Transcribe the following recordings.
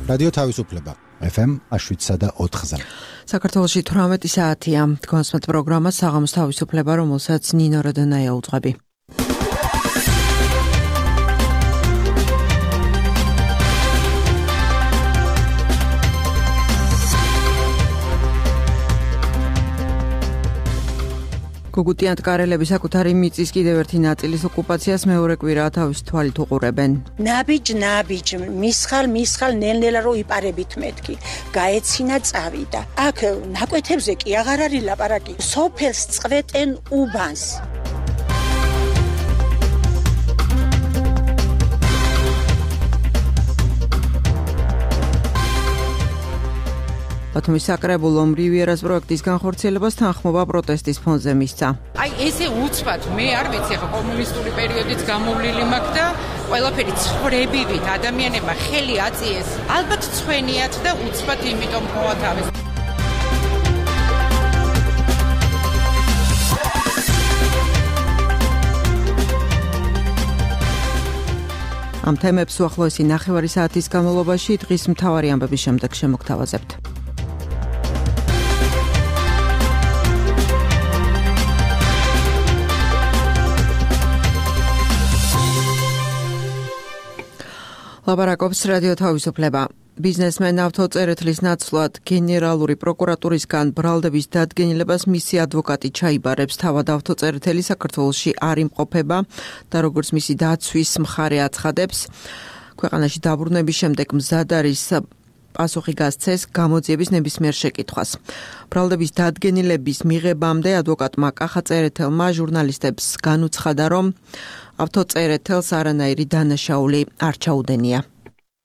რადიო თავისუფლება FM 7.4-ზე. საქართველოში 18 საათია. კონსმეთ პროგრამა საღამოს თავისუფლება, რომელსაც ნინო როდონაია უძღვები. გუგუტიანთ კარელები საკუთარი მიწის კიდევ ერთი ნაწილის ოკუპაციას მეორე კვირაა თავის თვალით უყურებენ. ნაბიჯ, მისხალ ნელ-ნელა რო იპარებით მეთქი. გაეცინა წავიდა. აქ ნაკვეთებზე კი აღარ არის ლაპარაკი. სოფელს წვეტენ უბანს. ბათუმის საკრებულომ რივიერას პროექტის განხორციელებას თანხმობა პროტესტის ფონზე მისცა. აი ესე უცბად მე არ ვიცი, ხო კომუნისტური პერიოდიც გამოვლილი მაქვს და ყველაფერი ცხრებივით ადამიანებმა ხელი აწიეს. ალბათ ცვენიათ და უცბად იმიტომ მოათავეს. ამ თემებს უახლოესი ნახევარი საათის განმავლობაში დღის მთავარი ამბების შემდეგ შემოგთავაზებთ. ლაპარაკობს რადიო თავისუფლება. ბიზნესმენ ავტოწერეთლის ნაცვლად გენერალური პროკურატურისგან ბრალდების დადგენილებას მისი ადვოკატი ჩაიბარებს. თავად ავტოწერეთელი საქართველოში არ იმყოფება და როგორც მისი დაცვის მხარე აცხადებს, ქვეყანაში დაბრუნების შემდეგ მზად არის პასუხი გასცეს გამოძიების ნებისმიერ შეკითხვას. ბრალდების დადგენილების მიღებამდე ადვოკატმა კახა წერეთელმა ჟურნალისტებს განუცხადა, რომ ავტოწერეთელს არანაირი დანაშაული არ ჩაუდენია.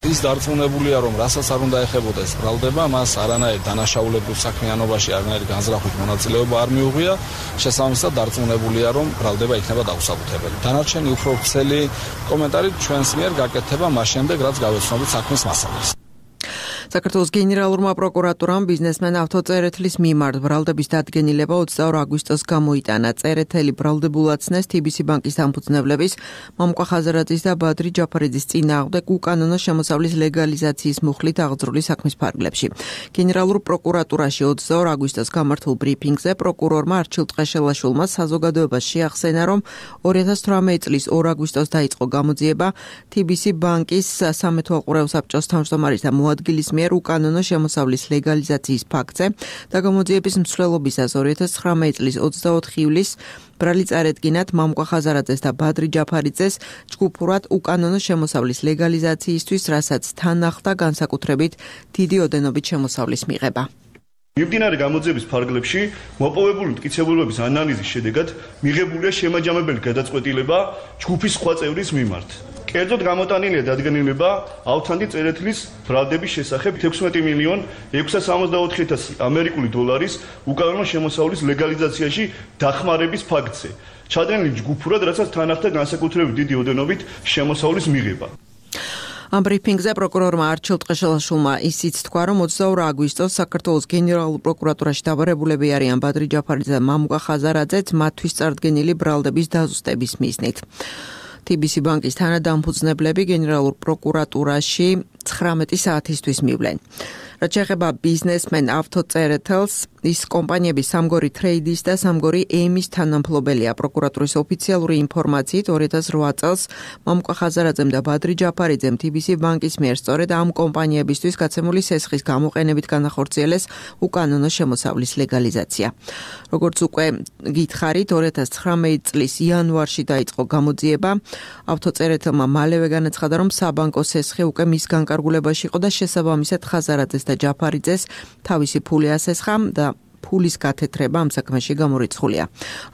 ის დარწმუნებულია, რომ რასაც არ უნდა ეხებოდა ეს ბრალდება, მას არანაირ დანაშაულებრივ საქმიანობაში არანაირი განზრახვით მონაწილეობა არ მიუღია, შესაბამისად დარწმუნებულია, რომ ბრალდება იქნება დაუსაბუთებელი. დანარჩენი უფრო ვრცელი კომენტარით ჩვენს მიერ გაკეთება მას შემდეგ, რაც გავეცნობით საქმის მასალას. საქართველოს გენერალურმა პროკურატურამ ბიზნესმენ ავტოწერეთლის მიმართ ბრალდების დადგენილება 22 აგვისტოს გამოიტანა. წერეთელი ბრალდებულაცნეს TBC ბანკის დამფუძნებლების მამუკა ხაზარაძის და ბადრი ჯაფარიძის წინააღმდეგ უკანონო შემოსავლის ლეგალიზაციის მუხლით აღძრული საქმის ფარგლებში. გენერალურ პროკურატურაში 22 აგვისტოს გამართულ ბრიფინგზე პროკურორმა არჩილ ტყეშელაშვილმა საზოგადოებას შეახსენა, რომ 2018 წლის 2 აგვისტოს დაიწყო გამოძიება TBC ბანკის სამეთვალყურეო საბჭოს თავმჯდომარის და მოადგილის მიერ უკანონო შემოსავლის ლეგალიზაციის ფაქტზე და გამოძიების მსვლელობისას 2019 წლის 24 ივლისს ბრალი წარედგინათ მამუკა ხაზარაძეს და ბადრი ჯაფარიძეს ჯგუფურად უკანონო შემოსავლის ლეგალიზაციისთვის, რასაც თან ახლდა განსაკუთრებით დიდი ოდენობით შემოსავლის მიღება. მიმდინარე გამოძიების ფარგლებში მოპოვებული მტკიცებულების ანალიზის შედეგად მიღებულია შემაჯამებელი გადაწყვეტილება ჯგუფის სხვა წევრის მიმართ. კერძოდ გამოტანილია დადგენილება ავთანდი წერეთლის ბრალდების შესახებ 16,664,000 ამერიკული დოლარის უკანონო შემოსავლის ლეგალიზაციაში დახმარების ფაქტზე. ჩადენილი ჯგუფურად, რასაც თან ახლდა განსაკუთრებით დიდი ოდენობით შემოსავლის მიღება. ამ ბრიფინგზე პროკურორმა არჩილ ტყეშელაშვილმა ისიც თქვა, რომ 22 აგვისტოს საქართველოს გენერალურ პროკურატურაში დაბარებულები არიან ბადრი ჯაფარიძე და მამუკა ხაზარაძეც მათთვის წარდგენილი ბრალდების დაზუსტების მიზნით. TBC ბანკის თანადამფუძნებლები გენერალურ პროკურატურაში 19 საათისთვის მივლენ. რაც შეეხება ბიზნესმენ ავტოწერეთელს, ის კომპანიების სამგორი ტრეიდის და სამგორი ემის თანამფლობელია. პროკურატურის ოფიციალური ინფორმაციით 2008 წელს მამუკა ხაზარაძემ და ბადრი ჯაფარიძემ TBC ბანკის მიერ სწორედ ამ კომპანიებისთვის გაცემული სესხის გამოყენებით განახორციელეს უკანონო შემოსავლის ლეგალიზაცია. როგორც უკვე გითხარით, 2019 წლის იანვარში დაიწყო გამოძიება. ავტოწერეთელმა მალევე განაცხადა, რომ საბანკო სესხი უკვე მის განკარგულებაში იყო და შესაბამისად ხაზარაძეს და ჯაფარიძეს თავისი ფული ასესხა და ფულის გათეთრება ამ საქმეში გამორიცხულია.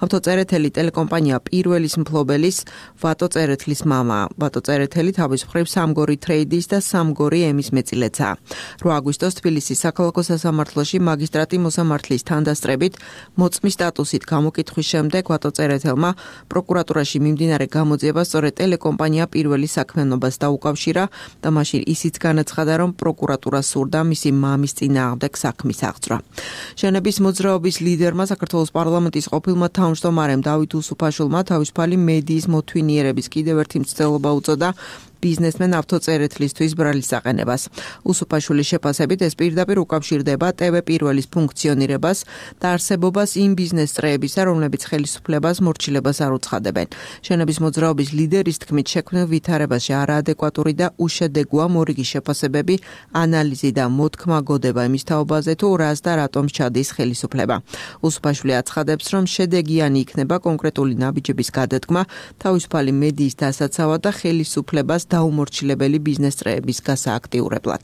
ავტოწერეთელი ტელეკომპანია პირველის მფლობელის ვატო წერეთლის მამაა. ვატო წერეთელი თავის მხრივ სამგორი ტრეიდის და სამგორი ემის მეწილეცაა. 8 აგვისტოს თბილისის საქალაქო სასამართლოში მაგისტრატი მოსამართლის თანდასწრებით მოწმის სტატუსით გამოკითხვის შემდეგ ვატო წერეთელმა პროკურატურაში მიმდინარე გამოძიებას სწორედ ტელეკომპანია პირველის საქმიანობას დაუკავშირა და მაშინ ისიც განაცხადა, რომ პროკურატურა სურდა მისი მამის წინააღმდეგ საქმის აღძვრა. ჟენების მოძრაობის ლიდერმა საქართველოს პარლამენტის ყოფილმა თავმჯდომარემ დავით უსუფაშვილმა თავისუფალი მედიის მოთვინიერების კიდევ ერთი მცდელობა უწოდა ბიზნესმენ ავტოწერეთლისთვის ბრალის აყენებას. უსუფაშვილის შეფასებით ეს პირდაპირ უკავშირდება TV პირველის ფუნქციონირებას და არსებობას იმ ბიზნეს წრეებისა, რომლებიც ხელისუფლებას მორჩილებას არ უცხადებენ. შენობის მოძრაობის ლიდერის თქმით, შექმნილ ვითარებაში არაადეკვატური და უშედეგოა მორიგი შეფასებები, ანალიზი და მოთქმა გოდება იმის თაობაზე, თუ რას და რატომ ჩადის ხელისუფლება. უსუფაშვილი აცხადებს, რომ შედეგიანი იქნება კონკრეტული ნაბიჯების გადადგმა, თავისუფალი მედიის დასაცავად და ხელისუფლებას დაუმორჩილებელი ბიზნეს წრეების გასააქტიურებლად.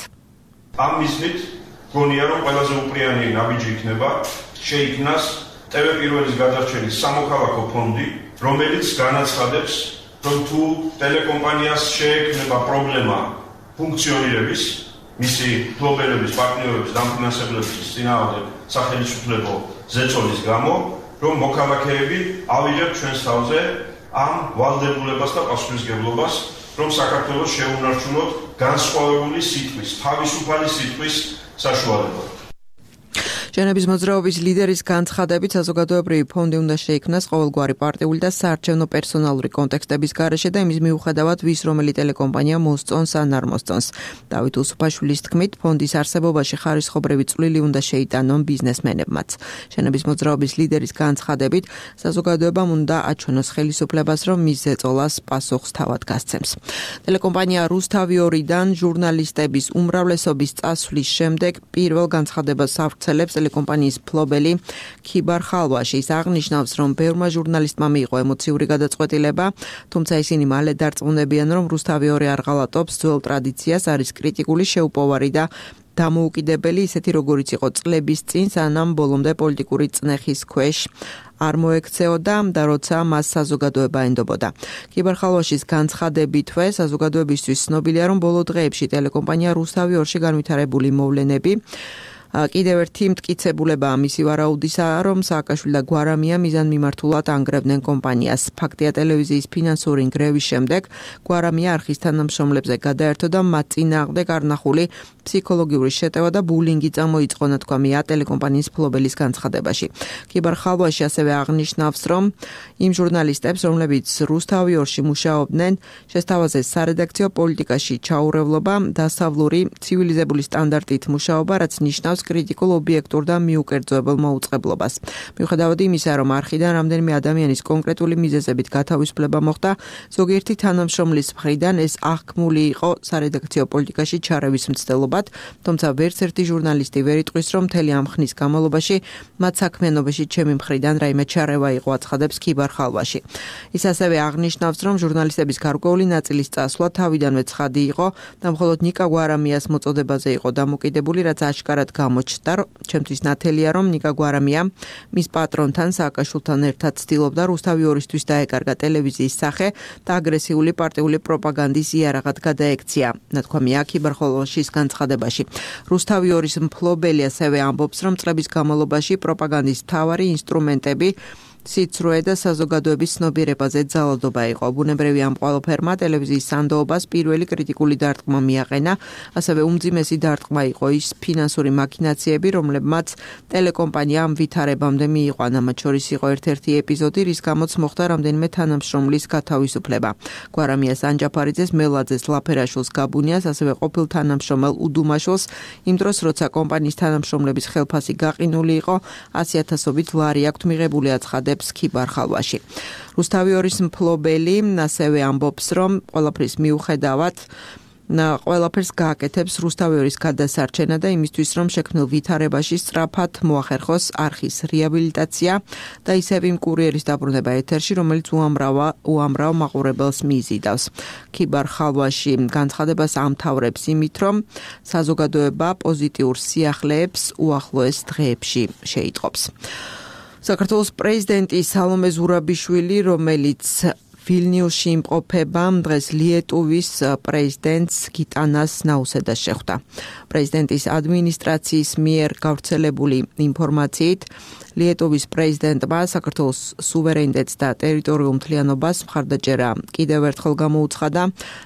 ამ მიზნით გონია, რომ ყველაზე უპრიანი ნაბიჯი იქნება შეიქმნას TV პირველის გადარჩენის სამოქალაქო ფონდი, რომელიც განაცხადებს, რომ თუ ტელეკომპანიას შეექმნება პრობლემა ფუნქციონირების, მისი ფლობელების, პარტნიორების, დამფინანსებლების წინააღმდეგ სახელმწიფო ზეწოლის გამო, რომ მოქალაქეები ავიღებთ ჩვენს თავზე ამ ვალდებულებას და პასუხისმგებლობას, რომ საქართველოს შეუნარჩუნოთ განსხვავებული სიტყვის, თავისუფალი სიტყვის საშუალება. შენების მოძრაობის ლიდერის განცხადებით, საზოგადოებრივი ფონდი უნდა შეიქმნას ყოველგვარი პარტიული და საარჩევნო პერსონალური კონტექსტების გარეშე და იმის მიუხედავად ვის რომელი ტელეკომპანია მოსწონს ან არ მოსწონს. დავით უსუფაშვილის თქმით, ფონდის არსებობაში ხარისხობრივი წვლილი უნდა შეიტანონ ბიზნესმენებმაც. შენების მოძრაობის ლიდერის განცხადებით, საზოგადოებამ უნდა აჩვენოს ხელისუფლებას, რომ მის ზეწოლას პასუხს თავად გასცემს. ტელეკომპანია რუსთავი 2-დან ჟურნალისტების უმრავლესობის წასვლის შემდეგ პირველ განცხადებას ავრცელებს ტელეკომპანიის ფლობელი ქიბარ ხალვაშის. აღნიშნავს, რომ ბევრმა ჟურნალისტმა მიიღო ემოციური გადაწყვეტილება, თუმცა ისინი მალე დარწმუნებიან, რომ რუსთავი 2 არ ღალატობს ძველ ტრადიციას, არის კრიტიკული, შეუპოვარი და დამოუკიდებელი, ისეთი როგორიც იყო წლების წინ, სანამ ბოლომდე პოლიტიკური წნეხის ქვეშ არ მოექცეოდა და როცა მას საზოგადოება ენდობოდა. ქიბარ ხალვაშის განცხადებითვე საზოგადოებისთვის ცნობილია, რომ ბოლო დღეებში ტელეკომპანია რუსთავი 2-ში განვითარებული მოვლენები კიდევ ერთი მტკიცებულებაა მისი ვარაუდისა, რომ სააკაშვილი და გვარამია მიზანმიმართულად ანგრევდნენ კომპანიას. ფაქტია, ტელევიზიის ფინანსური ნგრევის შემდეგ გვარამია არხის თანამშრომლებზე გადაერთო და მათ წინააღმდეგ არნახული ფსიქოლოგიური შეტევა და ბულინგი წამოიწყო, ნათქვამია ტელეკომპანიის ფლობელის განცხადებაში. ქიბარ ხალვაში ასევე აღნიშნავს, რომ იმ ჟურნალისტებს, რომლებიც რუსთავი 2-ში მუშაობდნენ, შესთავაზეს სარედაქციო პოლიტიკაში ჩაურევლობა, დასავლური ცივილიზებული სტანდარტით მუშაობა, რაც ნიშნავს კრიტიკულ ობიექტურ და მიუკერძოებელ მოუწყებლობას. მიუხედავად იმისა, რომ არხიდან რამდენიმე ადამიანის კონკრეტული მიზეზებით გათავისუფლება მოხდა, ზოგიერთი თანამშრომლის მხრიდან ეს აღქმული იყო სარედაქციო პოლიტიკაში ჩარევის მცდელობად, თუმცა ვერც ერთი ჟურნალისტი ვერ იტყვის, რომ მთელი ამ ხნის განმავლობაში მათ საქმიანობაში ჩემი მხრიდან რაიმე ჩარევა იყო, აცხადებს ქიბარ ხალვაში. ის ასევე აღნიშნავს, რომ ჟურნალისტების გარკვეული ნაწილის წასვლა თავიდანვე ცხადი იყო და მხოლოდ ნიკა გვარამიას მოწოდებაზე იყო დამოკიდებული, რაც აშკარად გამოჩნდა. ჩემთვის ნათელია, რომ ნიკა გვარამია მის პატრონთან სააკაშვილთან ერთად ცდილობდა რუსთავი 2-ისთვის დაეკარგა ტელევიზიის სახე და აგრესიული პარტიული პროპაგანდის იარაღად გადაექცია. ნათქვამია ქიბარ ხალვაშის განცხადებაში. რუსთავი 2-ის მფლობელი ასევე ამბობს, რომ წლების განმავლობაში პროპაგანდის მთავარი ინსტრუმენტები სიცრუე და საზოგადოების ცნობიერებაზე ძალადობა იყო. ბუნებრივი ამ ყველაფერმა ტელევიზიის სანდოობას პირველი კრიტიკული დარტყმა მიაყენა, ასევე უმძიმესი დარტყმა იყო ის ფინანსური მაქინაციები, რომლებმაც ტელეკომპანია ამ ვითარებამდე მიიყვანა. მათ შორის იყო ერთ-ერთი ეპიზოდი, რის გამოც მოხდა რამდენიმე თანამშრომლის გათავისუფლება. გვარამიას ანჯაფარიძეს, მელაძეს, ლაფერაშვილს, გაბუნიას, ასევე ყოფილ თანამშრომელ უდუმაშვილს, იმ დროს, როცა კომპანიის თანამშრომლების ხელფასი გაყინული იყო, 100,000-ობით ლარი აქვთ მიღებული, აცხადებს ქიბარ ხალვაში. რუსთავი 2-ის მფლობელი ასევე ამბობს, რომ ყველაფრის მიუხედავად ყველაფერს გააკეთებს რუსთავი 2-ის გადასარჩენა და იმისთვის, რომ შექმნილ ვითარებაში სწრაფად მოახერხოს არხის რეაბილიტაცია და ისევ იმ კურიერის დაბრუნება ეთერში, რომელიც უამრავ მაყურებელს მიიზიდავს. ქიბარ ხალვაში განცხადებას ამთავრებს იმით, რომ საზოგადოება პოზიტიურ სიახლეებს უახლოეს დღეებში შეიტყობს. საქართველოს პრეზიდენტი სალომე ზურაბიშვილი, რომელიც ვილნიუსში იმყოფება, დღეს ლიეტუვის პრეზიდენტს გიტანას ნაუსედას შეხვდა. პრეზიდენტის ადმინისტრაციის მიერ გავრცელებული ინფორმაციით, ლიეტუვის პრეზიდენტმა საქართველოს სუვერენიტეტს და ტერიტორიულ მთლიანობას მხარდაჭერა კიდევ ერთხელ გამოუცხადა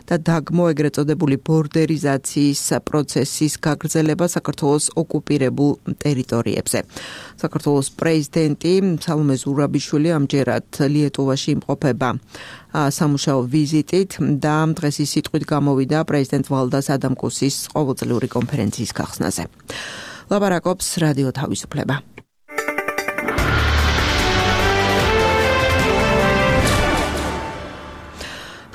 და დაგმო ეგრეთ წოდებული ბორდერიზაციის პროცესის გაგრძელება საქართველოს ოკუპირებულ ტერიტორიებზე. საქართველოს პრეზიდენტი სალომე ზურაბიშვილი ამჯერად ლიეტუვაში იმყოფება სამუშაო ვიზიტით და დღეს ის სიტყვით გამოვიდა პრეზიდენტ ვალდას ადამკუსის ყოველწლიური კონფერენციის გახსნაზე. ლაპარაკობს რადიო თავისუფლება.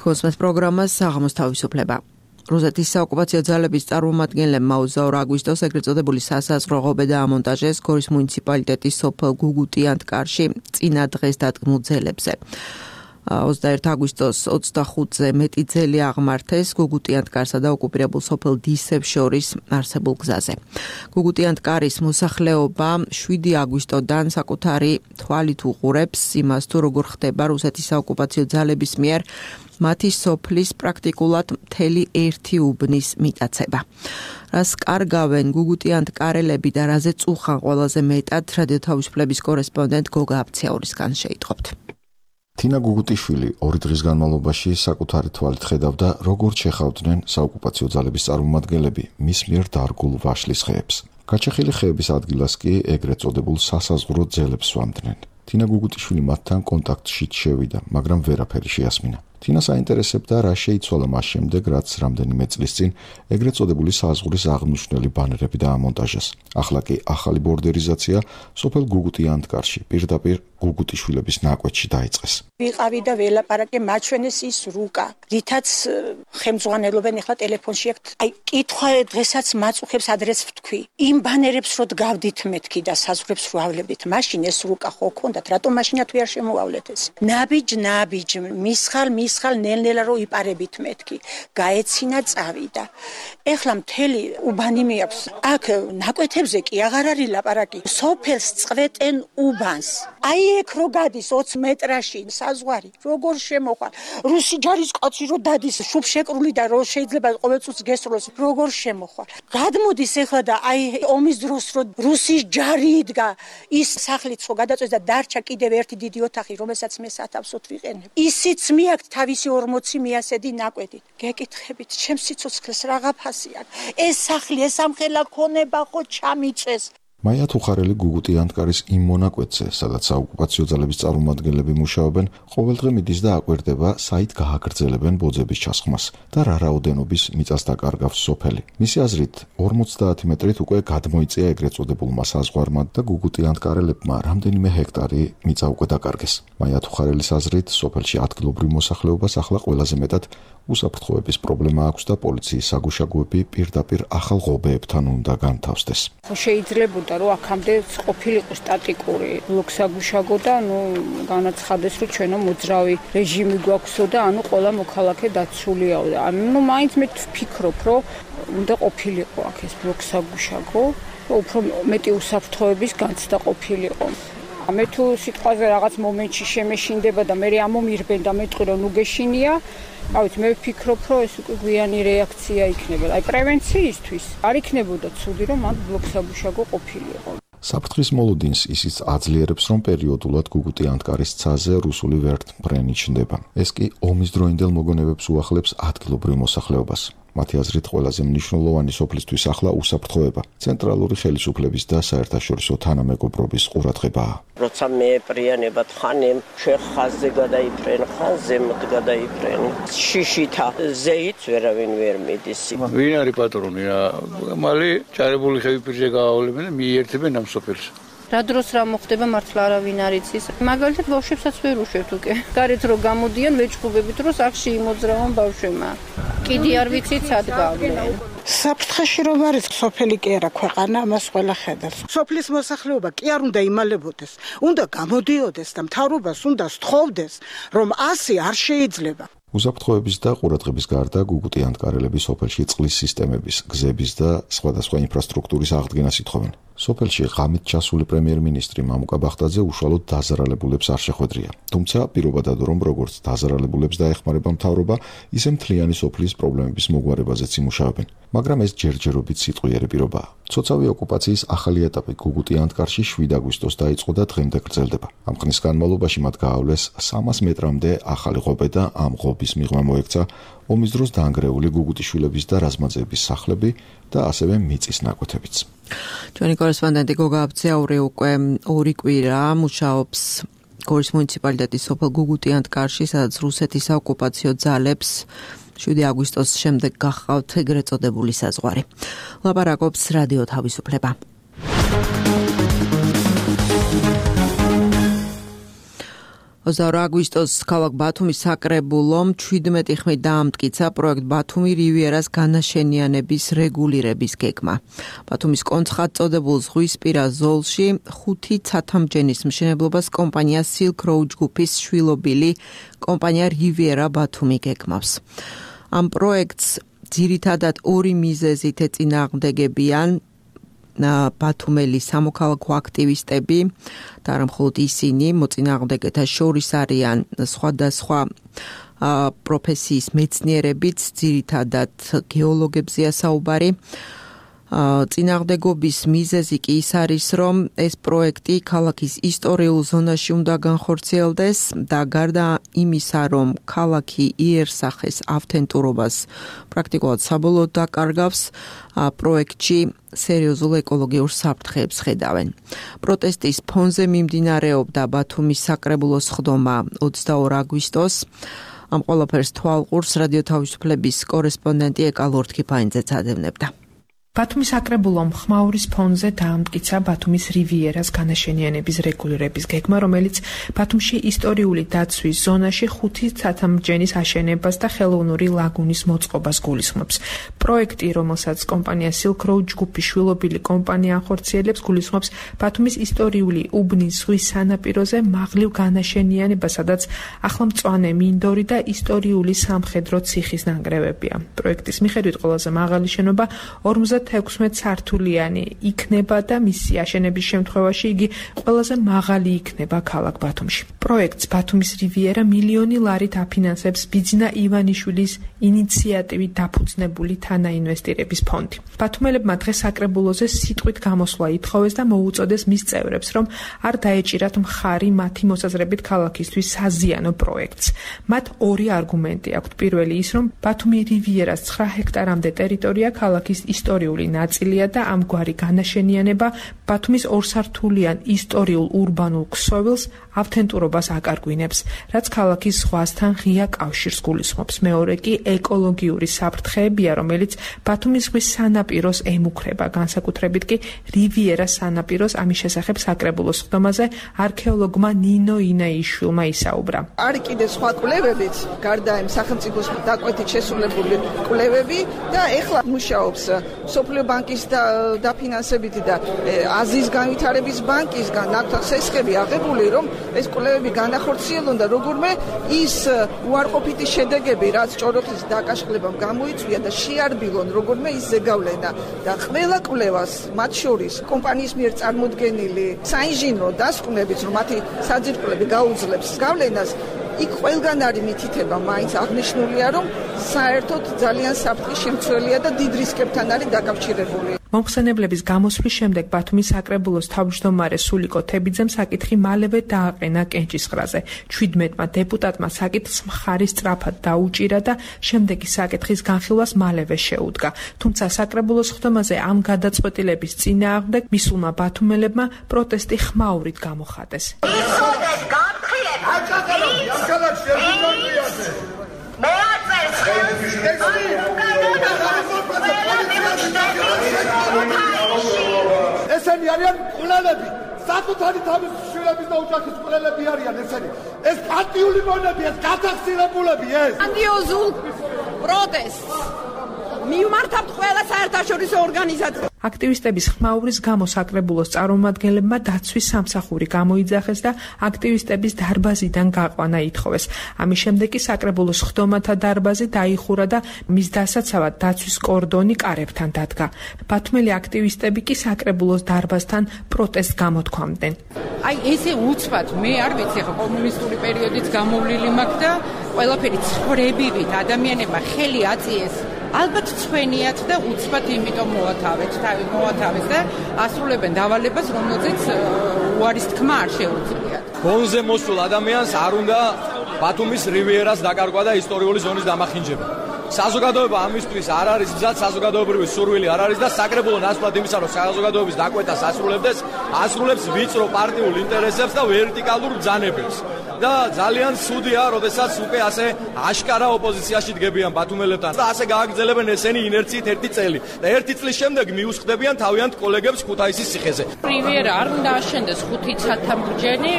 კოსმოს პროგრამას საღამოს თავისუფლება. რუსეთის საოკუპაციო ძალების წარმომადგენლებმა 22 აგვისტოს ეგრეთ წოდებული სასაზღვრო ღობე დაამონტაჟეს გორის მუნიციპალიტეტის სოფელ გუგუტიანტკარში წინა დღეს დადგმულ ძელებზე. 21 აგვისტოს 25-ზე მეტი ძელი აღმართეს გუგუტიანტკარსა და ოკუპირებულ სოფელ დისებს შორის არსებულ გზაზე. გუგუტიანტკარის მოსახლეობა 7 აგვისტოდან საკუთარი თვალით უყურებს იმას, თუ როგორ ხდება რუსეთის საოკუპაციო ძალების მიერ მათი სოფლის პრაქტიკულად მთელი ერთი უბნის მიტაცება. რას კარგავენ გუგუტიანტკარელები და რაზე წუხან ყველაზე მეტად რადიო თავისუფლების კორესპონდენტ გოგა აბციაურისგან შეიტყობთ. თინა გუგუტიშვილი 2 დღის განმავლობაში საკუთარი თვალით ხედავდა, როგორ შეხავდნენ საოკუპაციო ძალების წარმომადგენლები მის მიერ დარგულ ვაშლის ხეებს. გაჩეხილი ხეების ადგილას კი ეგრეთ წოდებულ სასაზღვრო ძელებს სვამდნენ. თინა გუგუტიშვილი მათთან კონტაქტში შევიდა, მაგრამ ვერაფერი შეასმინა. თინას აინტერესებდა, რა შეიცვალა მას შემდეგ, რაც რამდენიმე წლის წინ ეგრეთ წოდებული საზღვრის აღნიშნული ბანერები დაამონტაჟეს. ახლა კი ახალი ბორდერიზაცია სოფელ გუგუტიანტკარში პირდაპირ გუგუტიშვილების ნაკვეთში დაიწყეს. ვიყავი და ველაპარაკე, მაჩვენეს ის რუკა, რითაც ხელმძღვანელობენ ახლა ტელეფონში აქ. აი, კითხვა დღესაც მაწუხებს ადრეს ვთქვი. იმ ბანერებს რო დგავდით მეთქი და საზღვრებს რო ავლებით, მაშინ ეს რუკა ხო ქონდათ, რატომ მაშინ თუ არ შემოავლეთ ეს? ნაბიჯ, მისხალ ნელ-ნელა რო იპარებით მეთქი. გაეცინა წავიდა. ეხლა მთელი უბანი მეაქვს. აქ ნაკვეთებზე კი აღარ არის ლაპარაკი. სოფელს წვეტენ უბანს. აი ეგ რო გადის 20 მეტრაში საზღვარი, როგორ შემოხარ. რუსი ჯარის კაცი რო დადის შუბშეკრული და რო შეიძლება ყოველწუთს გესროლოს, როგორ შემოხარ. გადმოდის ეხლა და აი ომის დროს რო რუსის ჯარი იდგა, ის სახლიც ხო გადაწვეს და დარჩა კიდევ ერთი დიდი ოთახი, რომელსაც მე სათავსოდ ვიყენებ. ისიც მიაქვს თავისი 40 მიასედი ნაკვეთი. გეკითხებით, ჩემს სიცოცხლეს რაღა ფასი აქვს. ეს სახლი, ეს ამხელა ქონება ხო ჩამიწეს. მაია თუხარელი გუგუტიანტკარის იმ მონაკვეთზე, სადაც საოკუპაციო ძალების წარმომადგენლები მუშაობენ, ყოველდღე მიდის და აკვირდება, საით გააგრძელებენ ბოძების ჩასხმას და რა რაოდენობის მიწას დაკარგავს სოფელი. მისი აზრით, 50 მეტრით უკვე გადმოიწია ეგრეთ წოდებულმა საზღვარმა და გუგუტიანტკარელებმა რამდენიმე ჰექტარი მიწა უკვე დაკარგეს. მაია თუხარელის აზრით, სოფელში ადგილობრივ მოსახლეობას ახლა ყველაზე მეტად უსაფრთხოების პრობლემა აქვს და პოლიციის საგუშაგოები პირდაპირ ახალ ღობეებთან უნდა განთავსდეს. შეიძლებოდა რომ აქამდე ყოფილიყო სტატიკური ბლოკსაგუშაგო და განაცხადეს რომ ჩვენო მოძრავი რეჟიმი გვაქვსო და ყველა მოქალაქე დაცულიაო და მაინც მე ვფიქრობ რომ უნდა ყოფილიყო აქ ეს ბლოკსაგუშაგო უფრო მეტი უსაფრთხოების განცდა ყოფილიყო. მე თუ სიტყვაზე რაღაც მომენტში შემეშინდება და მე ამომირბენ და მეტყვი რომ უგეშინია, ავით მე ვფიქრობ რომ ეს უკვე გვიანი რეაქცია იქნება. აი პრევენციისთვის არ იქნებოდა ცუდი რომ მათ ბლოკსაგუშაგო ყოფილიყო. საფრთხის მოლოდინს ისიც აძლიერებს, რომ პერიოდულად გუგუტიანტკარის ცაზე რუსული ვერტმფრენი ჩნდება. ეს კი ომის დროინდელ მოგონებებს უახლებს ადგილობრივ მოსახლეობას. მათი აზრით ყველაზე მნიშვნელოვანი სოფლისთვის ახლა უსაფრთხოება, ცენტრალური ხელისუფლების და საერთაშორისო თანამეგობრობის ყურადღებაა. როცა მეეპრიანება თხანემ, შეხაზე გადაიფრენ, ხაზემოთ გადაიფრენ. შიშითა ზეით ვერავინ ვერ მიდის. ვინ არის პატრონი? მალე ჭარებული ხევი პირზე გაავლებენ და მიერთებენ ამ სოფელს. რა დროს რა მოხდება მართლა არავინ არ იცის. მაგალითად ბავშვებსაც ვერ უშვებთ უკვე. გარეთ რო გამოდიან ვეჭუბებით რომ სახში იმოძრავენ ბავშვებმა. კიდე არ ვიცით სად გავლენ. საფრთხეში რომ არის სოფელი კი არა ქვეყანა, ამას ყველა ხედავს. სოფლის მოსახლეობა კი არ უნდა იმალებოდეს, უნდა გამოდიოდეს და მთავრობას უნდა სთხოვდეს, რომ ასე არ შეიძლება. უსაფრთხოების და ყურადღების გარდა გუგუტიანტკარელები სოფელში წყლის სისტემების, გზების და სხვადასხვა ინფრასტრუქტურის აღდგენას ითხოვენ. სოფელში ღამით ჩასული პრემიერ-მინისტრი მამუკა ბახტაძე უშუალოდ დაზარალებულებს არ შეხვედრია. თუმცა პირობა დადო, რომ როგორც დაზარალებულებს დაეხმარება მთავრობა, ისე მთლიანი სოფლის პრობლემების მოგვარებაზეც იმუშავებენ. მაგრამ ეს ჯერჯერობით სიტყვიერი პირობაა. ცოცავი ოკუპაციის ახალი ეტაპი გუგუტიანტკარში 7 აგვისტოს დაიწყო და დღემდე გრძელდება. ამ ხნის განმავლობაში მათ გაავლეს 300 მეტრამდე ახალი ღობე და ამ ღობის მიღმა მოექცა ომის დროს დაანგრეული გუგუტიშვილების და რაზმაძეების სახლები და ასევე მიწის ნაკვეთებიც. ჩვენი კორესპონდენტი გოგა აბციაური უკვე 2 კვირა მუშაობს გორის მუნიციპალიტეტის სოფელ გუგუტიანთკარში, სადაც რუსეთის საოკუპაციო ძალებს 7 აგვისტოს შემდეგ გახავთ ეგრეთ წოდებული საზღვარი. ლაპარაკობს რადიო თავისუფლება. აგვისტოს ქალაქ ბათუმის საკრებულომ 17 ხმით დაამტკიცა პროექტ ბათუმი რივიერას განაშენიანების რეგულირების გეგმა. ბათუმის კონცხად წოდებულ ზღვისპირა ზოლში 5 ცათამბჯენის მშენებლობას კომპანია Silk Road ჯგუფის შვილობილი კომპანია რივიერა ბათუმი გეგმავს. ამ პროექტს ძირითადად 2 მიზეზით ეწინააღმდეგებიან ბათუმელი სამოქალაქო აქტივისტები და არა მხოლოდ ისინი, მოწინააღმდეგეთა შორის არიან სხვადასხვა პროფესიის მეცნიერებიც, ძირითადად გეოლოგებზეა საუბარი. წინააღმდეგობის მიზეზი კი ის არის, რომ ეს პროექტი ქალაქის ისტორიულ ზონაში უნდა განხორციელდეს და გარდა იმისა, რომ ქალაქი იერსახეს ავთენტურობას პრაქტიკულად საბოლოოდ დაკარგავს, პროექტში სერიოზულ ეკოლოგიურ საფრთხეებს ხედავენ. პროტესტის ფონზე მიმდინარეობდა ბათუმის საკრებულოს ხდომა 22 აგვისტოს. ამ ყველაფერს თვალყურს რადიო თავისუფლების კორესპონდენტი ეკა ლორთქიფაინძე წადევნებდა. ბათუმის საკრებულომ ხმაურის ფონზე დაამტკიცა ბათუმის რივიერას განაშენიანების რეგულირების გეგმა, რომელიც ბათუმში ისტორიული დაცვის ზონაში 5 ცათამბჯენის აშენებას და ხელოვნური ლაგუნის მოწყობას გულისხმობს. პროექტი, რომელსაც კომპანია Silk Road ჯგუფის შვილობილი კომპანია ახორციელებს, გულისხმობს ბათუმის ისტორიული უბნის ზღვის სანაპიროზე მაღლივ განაშენიანებას, სადაც ახლომწვანე მინდორი და ისტორიული სამხედრო ციხის ნანგრევებია. პროექტის მიხედვით ყველაზე მაღალი შენობა 56 სართულიანი იქნება და მისი აშენების შემთხვევაში იგი ყველაზე მაღალი იქნება ქალაქ ბათუმში. პროექტს ბათუმის რივიერა მილიონი ლარით აფინანსებს ბიძინა ივანიშვილის ინიციატივით დაფუძნებული თანაინვესტირების ფონდი. ბათუმელებმა დღეს საკრებულოზე სიტყვით გამოსვლა ითხოვეს და მოუწოდეს მის წევრებს, რომ არ დაეჭირათ მხარი მათი მოსაზრებით ქალაქისთვის საზიანო პროექტს. მათ 2 არგუმენტი აქვთ. პირველი ის, რომ ბათუმი რივიერას 9 ჰექტარამდე ტერიტორია ქალაქის ისტორიული ნაწილია და ამგვარი განაშენიანება ბათუმის 2 სართულიან ისტორიულ ურბანულ ქსოვილს ავთენტურობას აკარგვინებს, რაც ქალაქის ზღვასთან ღია კავშირს გულისხმობს. მეორე კი ეკოლოგიური საფრთხეებია, რომელიც ბათუმის ზღვის სანაპიროს ემუქრება, განსაკუთრებით კი რივიერას სანაპიროს. ამის შესახებ საკრებულოს ხდომაზე არქეოლოგმა ნინო ინაიშვილმა ისაუბრა. არის კიდე სხვა კვლევებიც, გარდა იმ სახელმწიფოს დაკვეთით შესრულებული კვლევები და ეხლა მუშაობს სოფლიო ბანკის დაფინანსებით და აზიის განვითარების ბანკისგან აქვთ სესხები აღებული, რომ ეს კვლევები განახორციელონ და როგორმე ის უარყოფითი შედეგები, რაც ჭოროხის დაკაშხლებამ გამოიწვია და შეარბილონ როგორმე ის ზეგავლენა და ყველა კვლევას, მათ შორის კომპანიის მიერ წარმოდგენილი საინჟინრო დასკვნებით, რომ მათი საძირკვლები გაუძლებს გავლენას, იქ ყველგან არის მითითება, მაინც აღნიშნულია, რომ საერთოდ ძალიან საფრთხის შემცველია და დიდ რისკებთან არის დაკავშირებული. მომხსენებლების გამოსვლის შემდეგ ბათუმის საკრებულოს თავმჯდომარე სულიკო თებიძემ საკითხი მალევე დააყენა კენჭისყრაზე. 17-მა დეპუტატმა საკითხს მხარი სწრაფად დაუჭირა და შემდეგი საკითხის განხილვას მალევე შეუდგა. თუმცა საკრებულოს ხდომაზე ამ გადაწყვეტილების წინააღმდეგ მისულმა ბათუმელებმა პროტესტი ხმაურით გამოხატეს. ესენი არიან ყლელები, საკუთარი თავის შვილების და ოჯახის ყლელები არიან ესენი. ეს პარტიული მონები, ეს გადახსირებულები ეს. გრანდიოზულ პროტესტს მიმართავთ ყველა საერთაშორისო ორგანიზაციას. აქტივისტების ხმაურის გამო საკრებულოს წარმომადგენლებმა დაცვის სამსახური გამოიძახეს და აქტივისტების დარბაზიდან გაყვანა ითხოვეს. ამის შემდეგ კი საკრებულოს ხდომათა დარბაზი დაიხურა და მის დასაცავად დაცვის კორდონი კარებთან დადგა. ბათუმელი აქტივისტები კი საკრებულოს დარბაზთან პროტესტს გამოთქვამდნენ. აი ესე უცბად, მე არ ვიცი, ხო კომუნისტური პერიოდით გამოვლილი მაქვს და ყველაფერი ცხრებივით ადამიანებმა ხელი აწიეს. ალბათ ცვენიათ და უცბად იმიტომ მოათავეთ და ასრულებენ დავალებას, რომელზეც უარის თქმა არ შეუძლიათ. ფონზე მოსულ ადამიანს არ უნდა ბათუმის რივიერას დაკარგვა და ისტორიული ზონის დამახინჯება. საზოგადოება ამისთვის არ არის მზად, საზოგადოებრივი სურვილი არ არის და საკრებულო ნაცვლად იმისა, რომ საზოგადოების დაკვეთას ასრულებს ვიწრო პარტიულ ინტერესებს და ვერტიკალურ ბრძანებებს. და ძალიან ცუდია, როდესაც უკვე ასე აშკარა ოპოზიციაში დგებიან ბათუმელებთან და ასე გააგრძელებენ ესენი ინერციით ერთი წელი და ერთი წლის შემდეგ მიუსხდებიან თავიანთ კოლეგებს ქუთაისის ციხეზე. რივიერა არ უნდა აშენდეს ხუთი ცათამბჯენი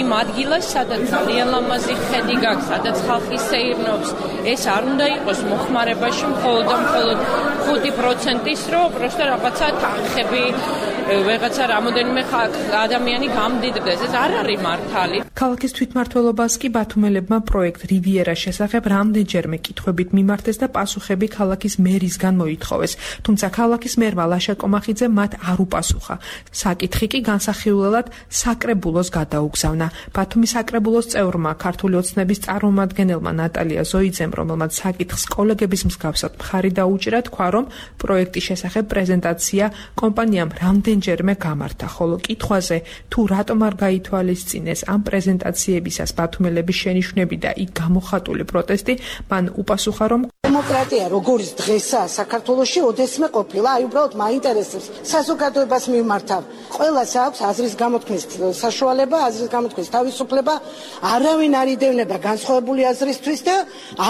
იმ ადგილას, სადაც ძალიან ლამაზი ხედი გაქვს, სადაც ხალხი სეირნობს. ეს არ უნდა იყოს მოხმარებაში მხოლოდ და მხოლოდ 5%-ის, რომ პროსტა რაღაცა თანხები ვეღაცა რამოდენიმე ადამიანი გამდიდრდეს. ეს არ არის მართალი. ქალაქის თვითმმართველობას კი ბათუმელებმა პროექტ რივიერას შესახებ რამდენჯერმე კითხვებით მიმართეს და პასუხები ქალაქის მერისგან მოითხოვეს. თუმცა ქალაქის მერმა ლაშა კომახიძე მათ არ უპასუხა. საკითხი კი განსახილველად საკრებულოს გადაუგზავნა. ბათუმის საკრებულოს წევრმა ქართული ოცნების წარმომადგენელმა ნატალია ზოიძემ, რომელმაც საკითხს კოლეგების მსგავსად მხარი დაუჭირა, თქვა, რომ პროექტის შესახებ პრეზენტაცია კომპანიამ რამდენჯერმე გამართა, ხოლო კითხვაზე თუ რატომ არ გაითვალისწინეს ამ პრეზენტაციებისას ბათუმელების შენიშვნები და იქ გამოხატული პროტესტი, მან უპასუხა, რომ დემოკრატია როგორც დღესაა საქართველოში ოდესმე ყოფილა, აი უბრალოდ მაინტერესებს საზოგადოებას მიმართავ. ყველას აქვს აზრის გამოთქმის საშუალება, აზრის გამოთქმის თავისუფლება, არავინ არ იდევნება განსხვავებული აზრისთვის და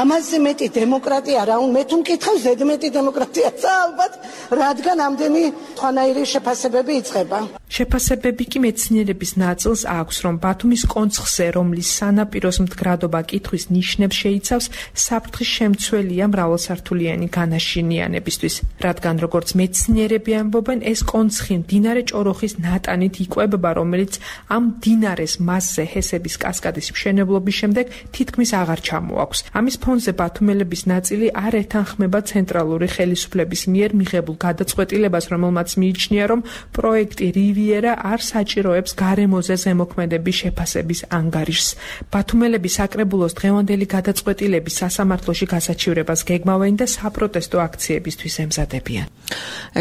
ამაზე მეტი დემოკრატია რა უნდა, მე თუ მკითხავ ზედმეტი დემოკრატიაცა ალბათ, რადგან ამდენი სხვანაირი შეფასებები იწყება. შეფასებები კი მეცნიერების ნაწილს აქვს, რომ ბათუმის კონცხზე, რომლის სანაპიროს მდგრადობა კითხვის ნიშნებს შეიცავს, საფრთხის შემცველია მრავალსართულიანი განაშენიანებისთვის, რადგან როგორც მეცნიერები ამბობენ, ეს კონცხი მდინარე ჭოროხის ნატანით იკვებება, რომელიც ამ მდინარეს მასზე ჰესების კასკადის მშენებლობის შემდეგ თითქმის აღარ ჩამოაქვს. ამის ფონზე ბათუმელების ნაწილი არ ეთანხმება ცენტრალური ხელისუფლების მიერ მიღებულ გადაწყვეტილებას, რომელმაც მიიჩნია, რომ პროექტი რივიერა არ საჭიროებს გარემოზე ზემოქმედების შეფასების ანგარიშს. ბათუმელები საკრებულოს დღევანდელი გადაწყვეტილების სასამართლოში გასაჩივრებას გეგმავენ და საპროტესტო აქციებისთვის ემზადებიან.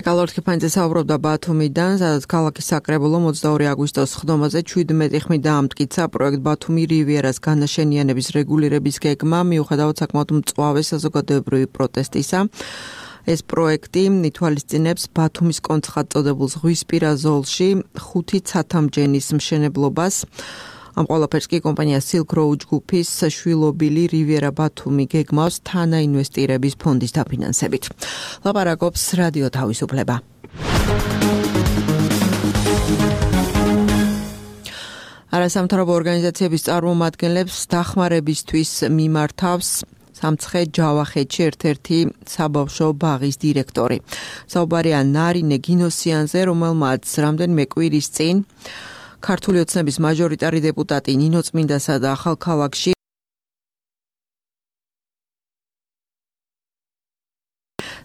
ეკალორთი ფანძე საუბრობდა ბათუმიდან, სადაც ქალაქის საკრებულო 22 აგვისტოს ხდომაზე 17 ხმით დაამტკიცა პროექტ ბათუმი რივიერას განაშენიანების რეგულირების გეგმა, მიუხედავად საკმაოდ მწვავე საზოგადოებრივი პროტესტისა. ეს პროექტი ითვალისწინებს ბათუმის კონცხად წოდებულ ზღვისპირა ზოლში 5 ცათამბჯენის მშენებლობას. ამ ყველაფერს კი კომპანია Silk Road ჯგუფის შვილობილი რივიერა ბათუმი გეგმავს თანაინვესტირების ფონდის დაფინანსებით. ლაპარაკობს რადიო თავისუფლება. არასამთავრობო ორგანიზაციების წარმომადგენლებს დახმარებისთვის მიმართავს სამცხე ჯავახეთში ერთ-ერთი საბავშვო ბაღის დირექტორი. საუბარია ნარინე გინოსიანზე, რომელმაც რამდენიმე კვირის წინ ქართული ოცნების მაჟორიტარი დეპუტატი ნინო წმინდასა და ახალქალაქში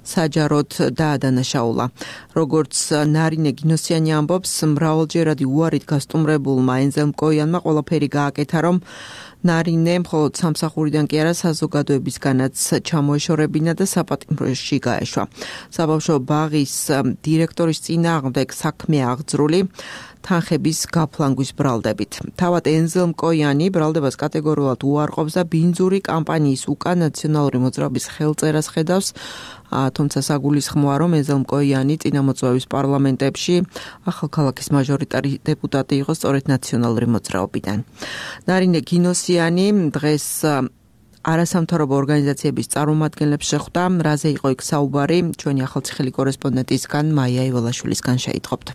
საჯაროდ დაადანაშაულა. როგორც ნარინე გინოსიანი ამბობს, მრავალჯერადი უარით გასტუმრებულმა ენზელმკოიანმა ყველაფერი გააკეთა, რომ ნარინე მხოლოდ სამსახურიდან კი არა საზოგადოებისგანაც ჩამოეშორებინა და საპატიმროში გაეშვა. საბავშვო ბაღის დირექტორის წინააღმდეგ საქმე აღძრული თანხების გაფლანგვის ბრალდებით. თავად ენზელმკოიანი ბრალდებას კატეგორიულად უარყოფს და ბინძური კამპანიის უკან ნაციონალური მოძრაობის ხელწერას ხედავს, თუმცა საგულისხმოა, რომ ენზელმკოიანი წინამოწვევის პარლამენტებში ახალქალაქის მაჟორიტარი დეპუტატი იყო სწორედ ნაციონალური მოძრაობიდან. ნარინე გინოსიანი დღეს არასამთავრობო ორგანიზაციების წარმომადგენლებს შეხვდა, რაზე იყო იქ საუბარი, ჩვენი ახალციხელი კორესპონდენტისგან მაია იველაშვილისგან შეიტყობთ.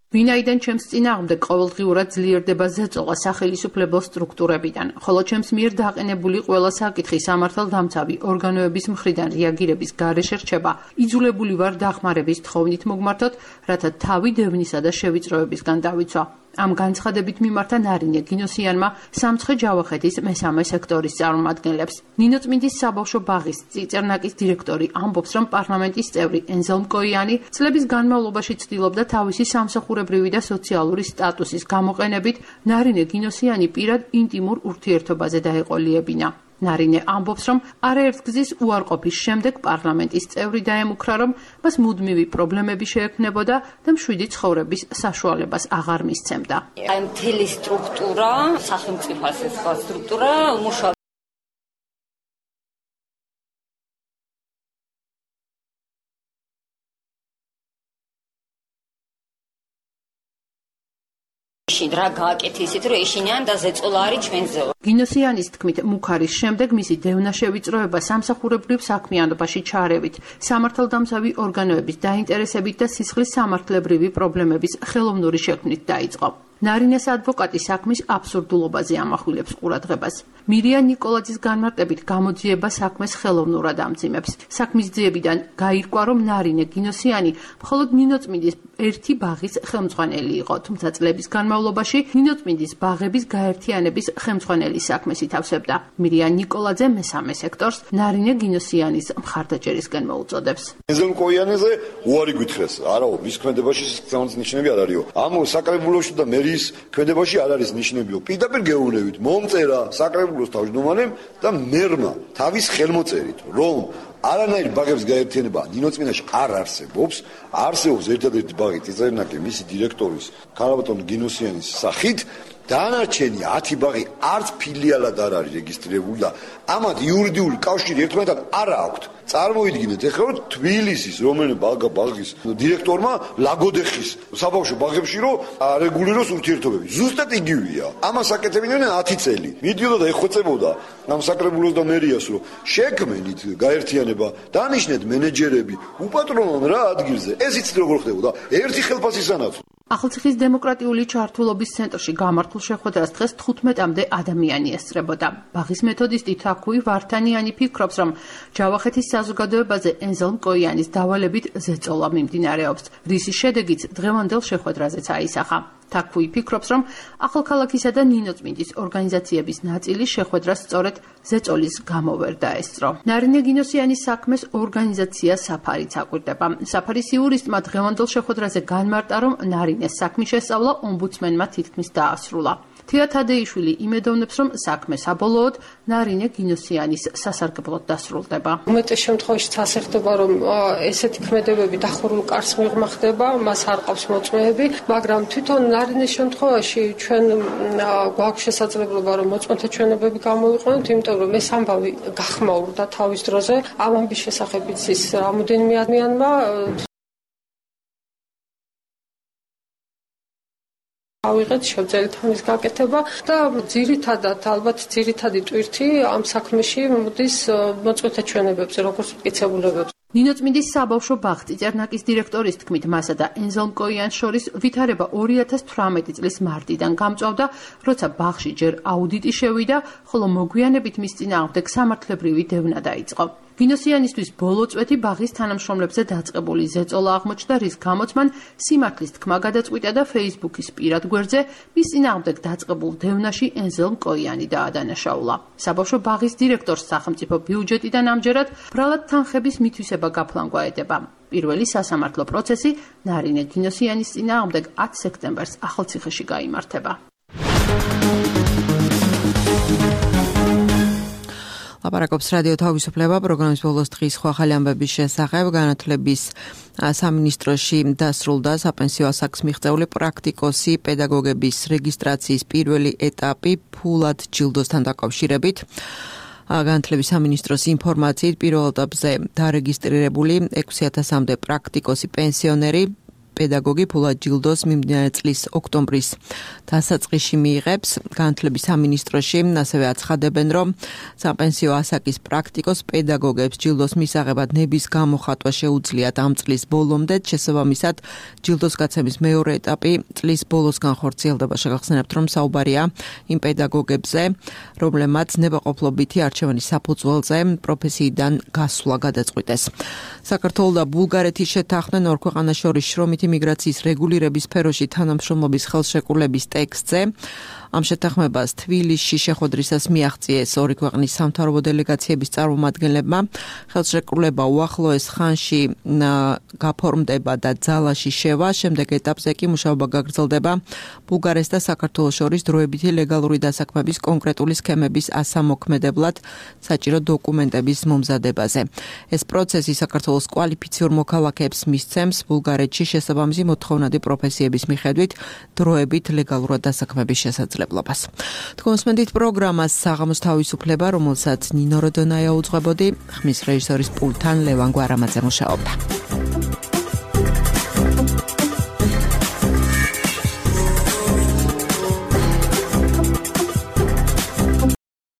ვინაიდან ჩემს წინააღმდეგ ყოველდღიურად ძლიერდება ზეწოლა სახელისუფლებელ სტრუქტურებიდან, ხოლო ჩემს მიერ დაყენებული ყველა საკითხი სამართალდამცავი ორგანოების მხრიდან რეაგირების გარეშე რჩება, იძულებული ვარ დახმარების თხოვნით მოგმართოთ, რათა თავი დევნისა და შევიწროებისგან დავიცვა. ამ განცხადებით მიმართა ნარინე გინოსიანმა სამცხე ჯავახეთის მესამე სექტორის წარმომადგენლებს. ნინო წმინდის საბავშვო ბაღის წიწერნაკის დირექტორი ამბობს, რომ პარლამენტის წევრი ენზელმკოიანი წლების განმავლობაში ცდილობდა თავისი სამსახურებრივი და სოციალური სტატუსის გამოყენებით ნარინე გინოსიანი პირად ინტიმურ ურთიერთობაზე დაეყოლიებინა. ნარინე ამბობს, რომ არაერთგზის უარყოფის შემდეგ პარლამენტის წევრი დაემუქრა, რომ მას მუდმივი პრობლემები შეექმნებოდა და მშვიდი ცხოვრების საშუალებას აღარ მისცემდა. აი მთელი სტრუქტურა, სახელმწიფოს ეს სტრუქტურა მაშინ რა გააკეთეთ, რომ ეშინიან და ზეწოლა არის ჩვენზე. გინოსიანის თქმით, მუქარის შემდეგ მისი დევნა შევიწროება სამსახურებრივ საქმიანობაში ჩარევით, სამართალდამცავი ორგანოების დაინტერესებით და სისხლის სამართლებრივი პრობლემების ხელოვნური შექმნით დაიწყო. ნარინეს ადვოკატი საქმის აბსურდულობაზე ამახვილებს ყურადღებას. მირია ნიკოლაძის განმარტებით გამოძიება საქმეს ხელოვნურად ამძიმებს. საქმის ძიებიდან გაირკვა, რომ ნარინე გინოსიანი მხოლოდ ნინოწმინდის ერთი ბაღის ხელმძღვანელი იყო, თუმცა წლების განმავლობაში ნინოწმინდის ბაღების გაერთიანების ხელმძღვანელის საქმეს ითავსებდა. მირია ნიკოლაძე მესამე სექტორს ნარინე გინოსიანის მხარდაჭერისკენ მოუწოდებს. ენზელ კოიანეზე უარი გითხრეს, არაო, მის ქმედებაში სიცხეების ნიშნები არ არისო. ამ საკრებულოში და მერის ქმედებაში არ არის ნიშნებიო. პირდაპირ გეუბნებით, მომწერა საკრებულოს თავმჯდომარემ და მერმა თავის ხელმოწერით, რომ არანაირი ბაღების გაერთიანება ნინოწმინდაში არ არსებობს, არსებობს ერთადერთი ბაღი წიწერნაკი მისი დირექტორის ქალბატონ გინოსიანის სახით. დანარჩენი 10 ბაღი არც ფილიალად არ არის რეგისტრირებული და ამათ იურიდიული კავშირი ერთმანეთთან არ აქვთ. წარმოიდგინეთ ახლა რომ თბილისის რომელიმე ბაღის დირექტორმა ლაგოდეხის საბავშვო ბაღებში რომ არეგულიროს ურთიერთობები. ზუსტად იგივეა. ამას აკეთებდნენ 10 წელი. მიდიოდა და ეხვეწებოდა ამ საკრებულოს და მერიას რომ შექმნით გაერთიანება, დანიშნეთ მენეჯერები, უპატრონონ რა ადგილზე. ეს იცით როგორ ხდებოდა? ერთი ხელფასისანაც. ახალციხის დემოკრატიული ჩართულობის ცენტრში გამართულ შეხვედრას დღეს 15-მდე ადამიანი ესწრებოდა. ბაღის მეთოდისტი თაქვი ვართანიანი ფიქრობს, რომ ჯავახეთის საზოგადოებაზე ენზელ მკოიანის დავალებით ზეწოლა მიმდინარეობს, რის შედეგიც დღევანდელ შეხვედრაზეც აისახა. თაქვი ფიქრობს, რომ ახალქალაქისა და ნინოწმინდის ორგანიზაციების ნაწილი შეხვედრას სწორედ ზეწოლის გამო ვერ დაესწრო. ნარინე გინოსიანის საქმეს ორგანიზაცია საფარიც აკვირდება. საფარის იურისტმა დღევანდელ შეხვედრაზე განმარტა, რომ ნარინეს საქმის შესწავლა ომბუდსმენმა თითქმის დაასრულა. თია თადეიშვილი იმედოვნებს, რომ საქმე საბოლოოდ ნარინე გინოსიანის სასარგებლოდ დასრულდება. უმეტეს შემთხვევაში ასე ხდება, რომ ესეთი ქმედებები დახურულ კარს მიღმა ხდება, მას არ ყავს მოწმეები, მაგრამ თვითონ ნარინეს შემთხვევაში ჩვენ გვაქვს შესაძლებლობა, რომ მოწმეთა ჩვენებები გამოვიყვანოთ, იმიტომ რომ ეს ამბავი გახმაურდა თავის დროზე. ამ ამბის შესახებიც ის რამოდენიმე ადამიანმა ავიღეთ შევძელით ამის გაკეთება და ძირითადად ალბათ ძირითადი ტვირთი ამ საქმეში მოდის მოწმეთა ჩვენებებზე, როგორც მტკიცებულებებზე. ნინოწმინდის საბავშვო ბაღ წიწერნაკის დირექტორის თქმით, მასა და ენზელ მკოიანს შორის ვითარება 2018 წლის მარტიდან გამწვავდა, როცა ბაღში ჯერ აუდიტი შევიდა, ხოლო მოგვიანებით მის წინააღმდეგ სამართლებრივი დევნა დაიწყო. გინოსიანისთვის ბოლო წვეთი ბაღის თანამშრომლებზე დაწყებული ზეწოლა აღმოჩნდა, რის გამოც მან სიმართლის თქმა გადაწყვიტა და Facebook-ის პირად გვერდზე მის წინააღმდეგ დაწყებულ დევნაში ენზელ მკოიანი დაადანაშაულა. საბავშვო ბაღის დირექტორს სახელმწიფო ბიუჯეტიდან ამჯერად ბრალად თანხების მითვისება გაფლანგვაედება. პირველი სასამართლო პროცესი ნარინე გინოსიანის წინააღმდეგ 10 სექტემბერს ახალციხეში გაიმართება. ლაპარაკობს რადიო თავისუფლება პროგრამის ბოლოს დღის სხვა ახალი ამბების შესახებ. განათლების სამინისტროში დასრულდა საპენსიო ასაკს მიღწეული პრაქტიკოსი პედაგოგების რეგისტრაციის პირველი ეტაპი ფულად ჯილდოსთან დაკავშირებით. განათლების სამინისტროს ინფორმაციით პირველ ეტაპზე დარეგისტრირებული 6000-მდე პრაქტიკოსი პენსიონერი პედაგოგი ფულად ჯილდოს მიმდინარე წლის ოქტომბრის დასაწყისში მიიღებს. განათლების სამინისტროში ასევე აცხადებენ, რომ საპენსიო ასაკის პრაქტიკოს პედაგოგებს ჯილდოს მისაღებად ნების გამოხატვა შეუძლიათ ამ წლის ბოლომდე. შესაბამისად, ჯილდოს გაცემის მეორე ეტაპი წლის ბოლოს განხორციელდება. შეგახსენებთ, რომ საუბარია იმ პედაგოგებზე, რომლებმაც ნებაყოფლობითი არჩევანის საფუძველზე პროფესიიდან გასვლა გადაწყვიტეს. საქართველოს და ბულგარეთის შეთანხმდნენ ორ ქვეყანას შორის შრომითი მიგრაციის რეგულირების სფეროში თანამშრომლობის ხელშეკრულების ტექსტზე. ამ შეთანხმებას თბილისში შეხვედრისას მიაღწიეს ორი ქვეყნის სამთავრობო დელეგაციების წარმომადგენლებმა. ხელშეკრულება უახლოეს ხანში გაფორმდება და ძალაში შევა. შემდეგ ეტაპზე კი მუშაობა გაგრძელდება ბულგარეთს და საქართველოს შორის დროებითი ლეგალური დასაქმების კონკრეტული სქემების ასამოქმედებლად საჭირო დოკუმენტების მომზადებაზე. ეს პროცესი საქართველოს კვალიფიციურ მოქალაქეებს მისცემს ბულგარეთში შესაბამისი მოთხოვნადი პროფესიების მიხედვით დროებით ლეგალურად დასაქმების შესაძლებლობას. თქვენსმენდით პროგრამას საღამოს თავისუფლება, რომელსაც ნინო როდონაია უძღვებოდი, ხმის რეჟისორის პულტთან ლევან გვარამაძე მუშაობდა.